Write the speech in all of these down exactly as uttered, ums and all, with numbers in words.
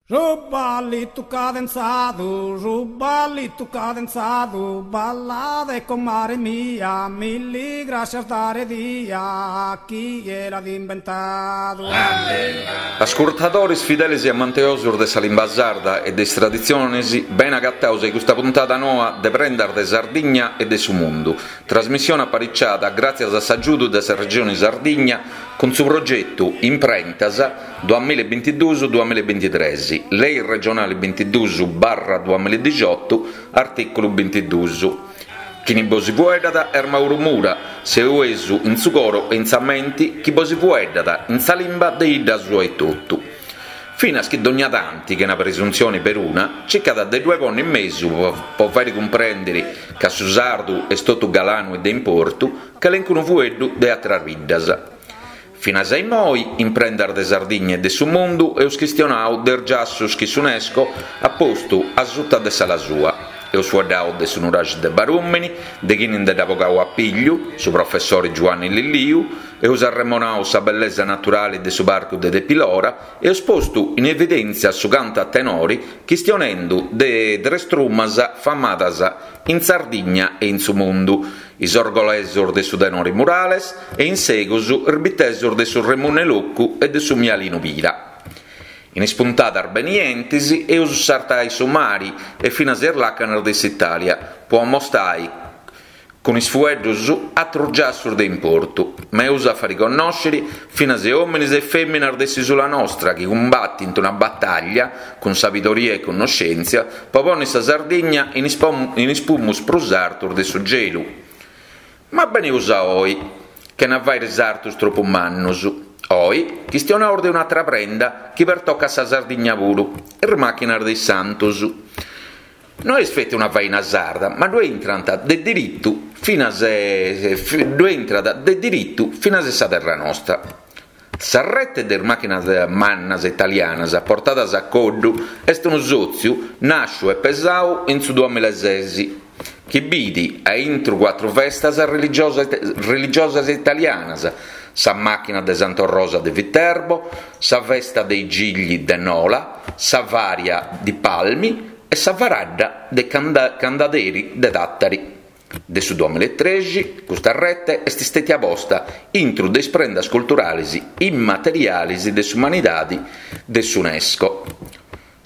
Su ballitu cadenzadu, su ballitu cadenzadu, ballade comare mia, milli grascias dare dia, chie l'at imbentadu. Ascurtadores fideles e amanteosos de sa limba sarda e de is traditziones, bene agatados a custa puntada noa de Prendas de Sardigna e de su Mundu, trasmissione apariciada gràtzias a s'agiudu de sa Regione Sardigna cun su progetu Imprentas duamilla e bintiduus duamilla e bintitres, Lei regionale bintiduus barra duamilla e dixiotu, artìculu bintiduus. Chini bos fueddat est Mauro Mura, seuesu in su coro e in sa menti, chi bos fueddat in sa limba de 'idda sua etotu. Finas chi dogna tanti, chena presuntzione peruna, circat de ddue ponni in mesu po fàere cumprèndere ca su sardu est totu galanu e de importu, calencunu fueddu de àteras biddas. Finas a immoi, in Prendas de Sardigna e de su Mundu, eus chistionau de is giassus chi s'UNESCO at postu a suta de s'ala sua. Eus fueddau de su nuraxi de Barùmini, de chini nde dd'at bogau a pigliu, su professori Giuanni Lilliu, eus arremonau sa bellesa naturali de su parcu de Tepilora e eus postu in evidèntzia su cantu a tenori chistionendu de tres trumas famadas in Sardigna e in su mundu, is orgolesos de su tenore Murales e in segus is bitesos de su Remunne Locu e de su Mialinu Pira. In is puntadas benientes eus sartai su mari e finas is làcanas de s'Itàlia po ammostai cun is fueddus atrus giassus de importu, ma eus a fari connòsciri finas òmines e fèminas de s'ìsula nostra chi cumbatint una batàllia cun sabidoria e connoschèntzia po ponni sa Sardigna in is in is pumus prus artus de su gelu. Ma beneus a oi, chena fàiri sartus tropu mannus. Oi chistionaus de un'atra prenda chi pertocat sa Sardigna puru, is màchinas de is santus. No est feti una faina sarda, ma ddue intrant de diritu finas ddue intrat de diritu finas sa terra nostra. Sa rete de is màchinas mannas italianas portadas a coddu est unu sòtziu nàsciu e pesau in su duamilla e ses, chi bidi a intru cuatru festas religiosas italianas, sa màchina de Santa Rosa de Viterbo, sa festa dei Gigli de Nola, sa Varia di Palmi e sa Faradda de Candaderi de Tàtari. De su duamilla e trexi, custa rete est stètia posta intru de is prendas culturales immateriales de s'umanidade de s'UNESCO.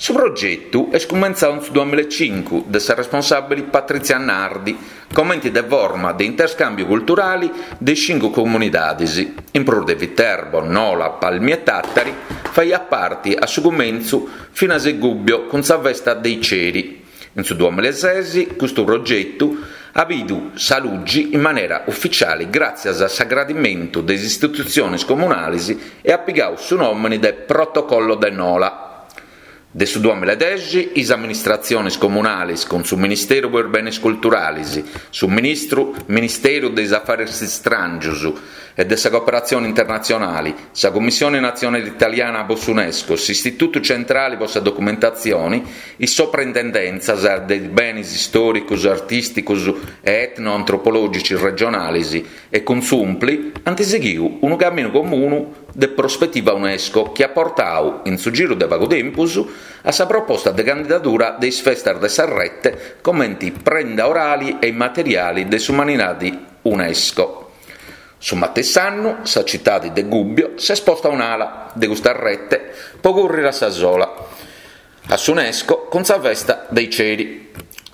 Su progetu est cumentzau in su duamilla e cincu de sa responsàbile Patrizia Nardi, comenti de forma de interscàmbiu culturale de is cincu comunidades, in prus de Viterbo, Nola, Palmi e Tàtari, faiat parte a su cumentzu finas e Gubbio cun sa festa dei Ceri. In su duamilla e ses custu progetu at bidu sa lugi in manera ufitziale gràtzias a s'agradimentu de is istitutziones comunales e at pigau su nòmene de Protocollo de Nola. De su duamilla e dexi is amministratziones comunales cun su Ministeru po is Benes Culturales, su Ministru Ministeru de is Afares Istràngios e de sa Cooperatzione Internatzionale, sa Commissione Natzionale Italiana po s'UNESCO, s'Istitutu Centrale po sa Documentatzione, is Sopraintendèntzias de is Benes Istòricos, Artìsticos e Etnoantropològici regionales e cun s'UNPLI ant sighiu unu caminu comunu de prospetiva UNESCO chi at portau, in su giru de pagu tempus, a sa proposta de candidadura de is festas de sa rete comenti prenda orale e immateriale de s'umanidade UNESCO. Su matessi annu sa citade de Gubbio s'est posta un'ala de custa rete po currere a sa sola a s'UNESCO cun sa festa dei Ceri.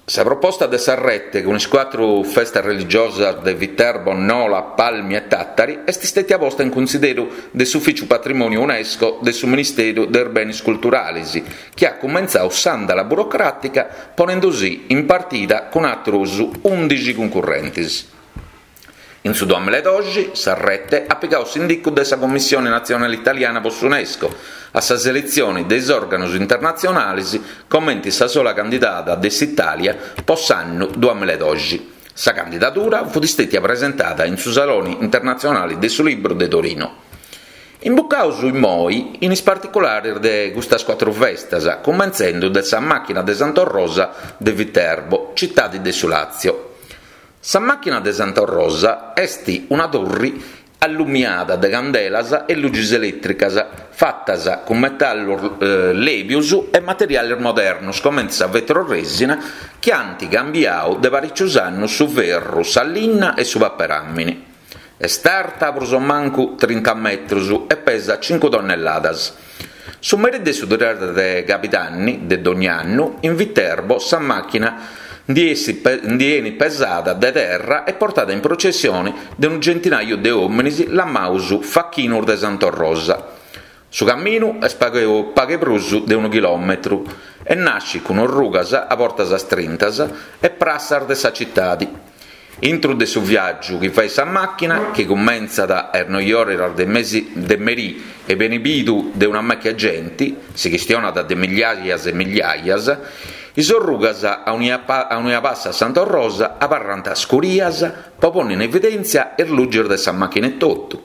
Sa proposta de sa rete cun is cuatru festas religiosas de Viterbo, Nola, Palmi e Tàtari est stètia posta in cunsideru de s'Ufìtziu Patrimòniu UNESCO de su Ministeru de is Benes Culturales, chi at cumentzau s'àndala burocràtica ponendusì in partida cun àteros ùndixi cuncurrentes. In su duamilla e doxi sa rete at pigau s'indicu de sa Commissione Natzionale Italiana po s'UNESCO a sa seletzione de is òrganos internatzionales comenti sa sola candidada de s'Itàlia po s'annu duamilla e doxi. Sa candidadura fut stètia presentada in su Salone Internatzionale de su Libru de Torino. Imbucaus immoi in is particulares de custas cuatru festas, cumentzendu de sa màchina de Santa Rosa de Viterbo, citade de su Làtzio. Sa màchina de Santa Rosa est una turri allumiada de candelas e luxis elètricas fatas cun metallus lèbios e materiales modernos comente sa vetroresina chi ant cambiadu de parìcios annos su ferru, sa linna e su paperàmine. Est arta prus o mancu trinta metros e pesat cincu tonnelladas. Su merì de su tres de Cabidanni de dogni annu in Viterbo sa màchina ndi 'enit pesada de terra e portada in processione de unu centinàiu de òmines lamados Fachinos de Sant'Orrosa. Su caminu est pagu pagu prus de unu chilòmetru e nascit cun orrugas a bortas strintas e prassas de sa citade. Intro de su viàgiu chi fait sa màchina, chi cumentzat a is noioras de mesi de merì e benit bidu de una mecca 'e genti, si chistionat de migliaias e migliaias, is orrugas aunia aunia passat Sant'Orrosa abarrant scurias po ponni in evidèntzia is luxis de sa màchina etotu.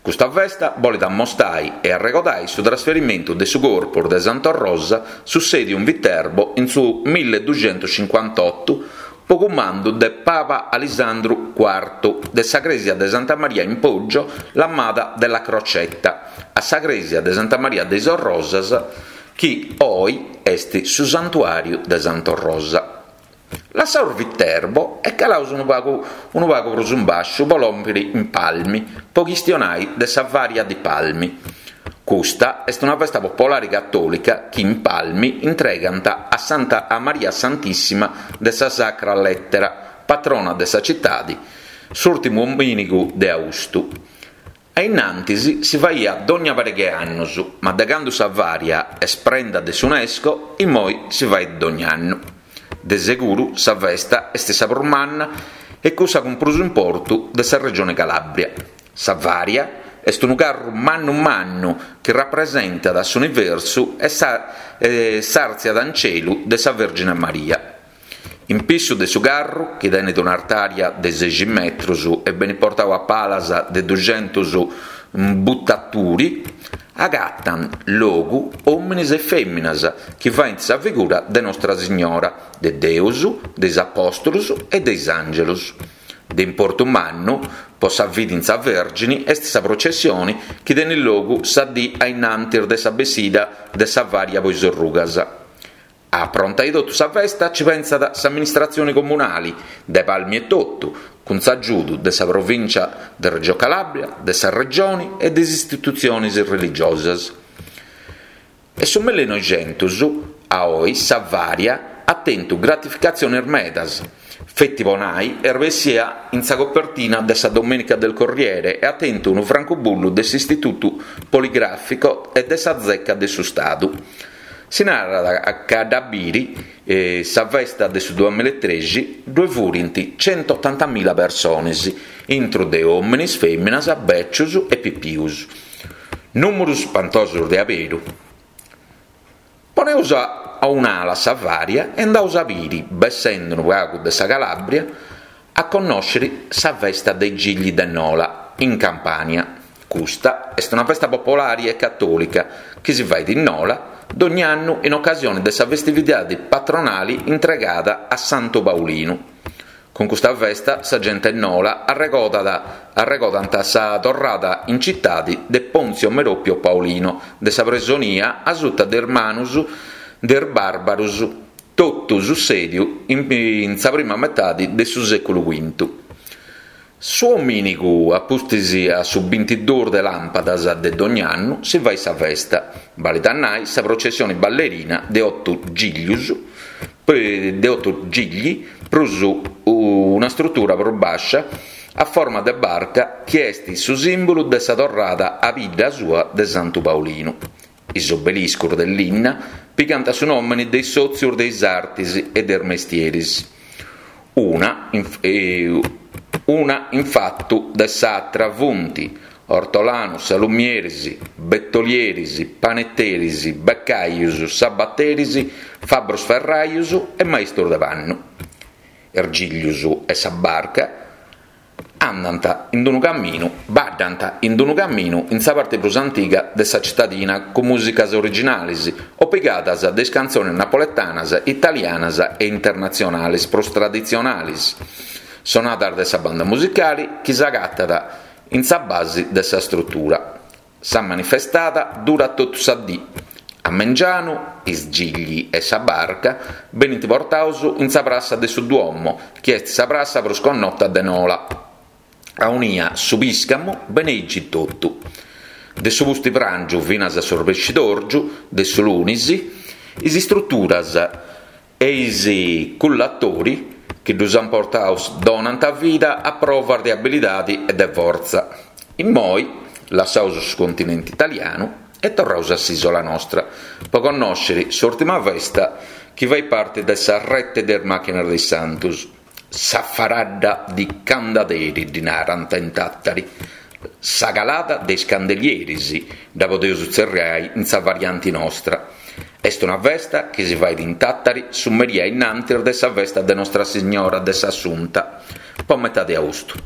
Custa festa bolit ammostai e arregodai su trasferimentu de su corpus de Sant'Orrosa sussèdiu in Viterbo in su milleduxentuscincuantotto po cumandu de Papa Alisandru Cuartu de sa crèsia de Santa Maria in Poggio lamada della Crocetta a sa crèsia de Santa Maria de is Orrosas chi oi est su santuàriu de Sant'Orrosa. Lassaus Viterbo e calaus unu pagu unu pagu prus in bàsciu po lòmpiri in Palmi po chistionai de sa Varia di Palmi. Custa est una festa popolare catòlica chi in Palmi intregant a Santa a Maria Santissima de sa Sacra Lettera, patrona de sa citade, s'ùrtimu domìnigu de austu. A innantis si faiat dogna pariga 'e annos, ma de cando sa Varia est prenda de s'UNESCO, immoi si fait dogni annu. De seguru sa festa est sa prus manna e cussa cun prus importu de sa regione Calabria. Sa Varia est unu carru mannu mannu chi rapresentat s'universu e sa e s'artziada in celu de sa Vergine Maria. In pissu de su carru, chi tenet un'artària de sexi metros e benit portadu a palas de duxentus butaturi, agatant logu òmines e fèminas chi faent sa figura de Nostra Signora, de Deus, de is Apòstolos e de is Àngelos. De importu mannu po sa fidi in sa Vèrgine est sa processione chi tenet logu sa dì a innantis de sa bessida de sa Varia po is orrugas. A aprontai totu sa festa ci pensat s'amministratzione comunale de Palmi etotu, cun s'agiudu de sa Provìncia de Reggio Calabria, de sa Regione e de is istitutziones religiosas. De su millenoixentus a oi sa Varia at tentu gratificatziones medas. Feti po nai est bessia in sa copertina de sa Domenica del Corriere e at tentu unu francubullu de s'Istitutu Poligrafico e de sa Zecca de su Stadu. Si narat ca a dda biri sa festa de su duamillaetrexi ddue furint centotantamila persones, intru de òmines, fèminas, bècios e pipius. Nùmeros spantosos de aberu. Poneus a un'ala sa Varia e andaus a biri, bessende unu pagu de sa Calabria, a connòschere sa festa dei Gigli de Nola, in Campania. Custa est una festa popolare e catòlica chi si fait in Nola dogni annu in ocasione de sa festividade patronale intregada a Santu Paulinu. Cun custa festa sa gente 'e Nola arregodat arregodant sa torrada in citade de Ponzio Meropio Paolino de sa presonia a suta de is manos de is bàrbaros, totu sussèdiu in sa prima metade de su sèculu quintu. Su domìnigu, a pustis a su bintiduus de làmpadas de dogni annu, si fait sa festa, balit a nai sa processione ballerina de oto giglios, de oto gigli, prus una strutura prus bàscia a forma de barca chi est su sìmbulu de sa torrada a bidda sua de Santu Paulinu. Is obeliscos de linna pigant su nòmene de is sòtzios de is artes e de is mestieris. Una una in fatu de s'atra funt ortolanos, salumieris, betolieris, panetteris, beccaios, sabateris, fabbros ferraios e maistros de pannu. Is giglios e sa barca andant in unu caminu, baddant in unu caminu in sa parte prus antiga de sa citadina cun mùsicas originales o pigadas de is cantzones napoletanas, italianas e internatzionales prus traditzionales, sonadas de sa banda musicale chi s'agatat in sa basi de sa strutura. Sa manifestada durat totu sa dì. A mengianu, is gigli e sa barca benint portados in sa prassa de su Duomo, chi est sa prassa prus connota de Nola. Aunia su pìscamu beneigit totu. De su pustipràngiu finas a s'orbescidòrgiu de su lunis, is istruturas e is cullatori chi ddus ant portados donant vida a provas de abilidade e de fortza. Immoi lassaus su continente italianu e torraus a s'isola nostra pro connòschere s'ùrtima festa chi fait parte de sa rete de is màchinas de is Santos, sa Faradda di Candaderi ddi narant in Tàtari, sa calada de is candelieris, dda podeus tzerriai in sa variante nostra. Est una festa chi si fait in Tàtari su merie innantis de sa festa de Nostra Signora de s'Assunta, po metade austu.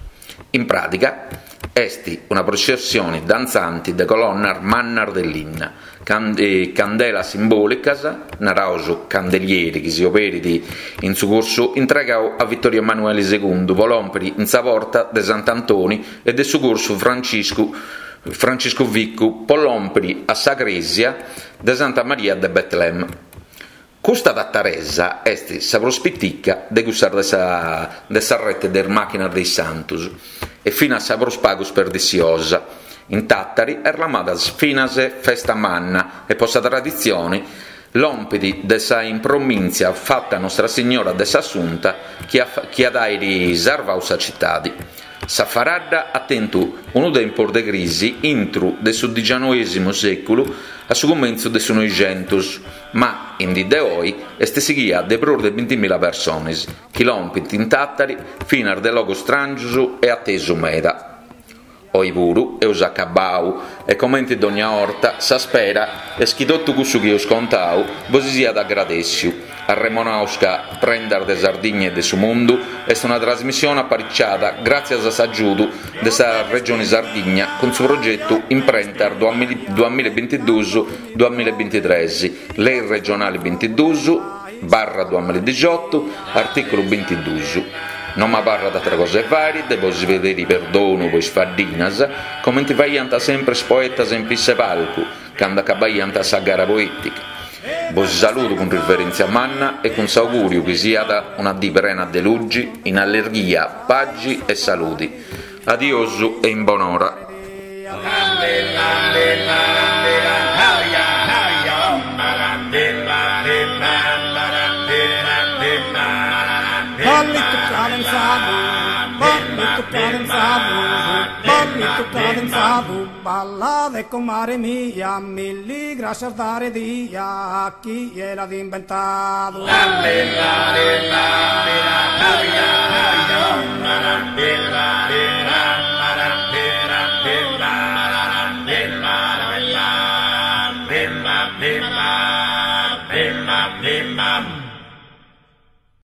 In pràtica est una processione dantzante de colonnas mannas de linna, candelas simbòlicas, naraus candelieri chi si oberit in su cursu intregadu a Vittorio Emanuele segundu po lòmpere in sa porta de Sant'Antoni e de su cursu Franciscu Franciscu Vicu po lòmpere a sa crèsia de Santa Maria de Betlem. Custa tataresa est sa prus pitica de cussas de sa de sa rete de is màchinas de is Santos e finas sa prus pagu sperdissiosa. In Tàtari est lamada finas Festa Manna e po sa traditzione lompit de sa impromìntzia fata a Nostra Signora de s'Assunta chi chi at àere sarvadu sa citade. Sa Faradda at tentu unu tempus de crisi intro de su dicianoesimu sèculu a su cumentzu de su Noixentos, ma in die de oe est sighida de prus de bintimila persones chi lompint in Tàtari finas de logos stràngios e atesu meda. Oe puru eus acabau e comente dogna 'orta sa spera est chi totu cussu chi eus contau bos siat agradèssiu. Arremonaus ca Prendas de Sardigna e de su Mundu est una trasmissione apariciada gràtzias a s'agiudu de sa Regione Sardigna cun su progetu Imprentas duamilla e bintiduus duamilla e bintitres, Lei regionale bintiduus barra duamilla e dixiotu, artìculu bintiduus. Non m'abarrat àtera cosa 'e fàere de bos pedire perdonu po is faddinas, comente faiant sempre is poetas in piss'e palcu, cando acabaiant sa gara poètica. Bos saludo cun riverèntzia manna e cun s'augùriu chi siat una dì prena de lugi, in allegria, pagi e salude. Adiosu e in bonora. Ballito cadenzado, ballito cadenzado, ballito cadenzado, balla de comare mia, milli gracias dare dia a chi l'ha inventato.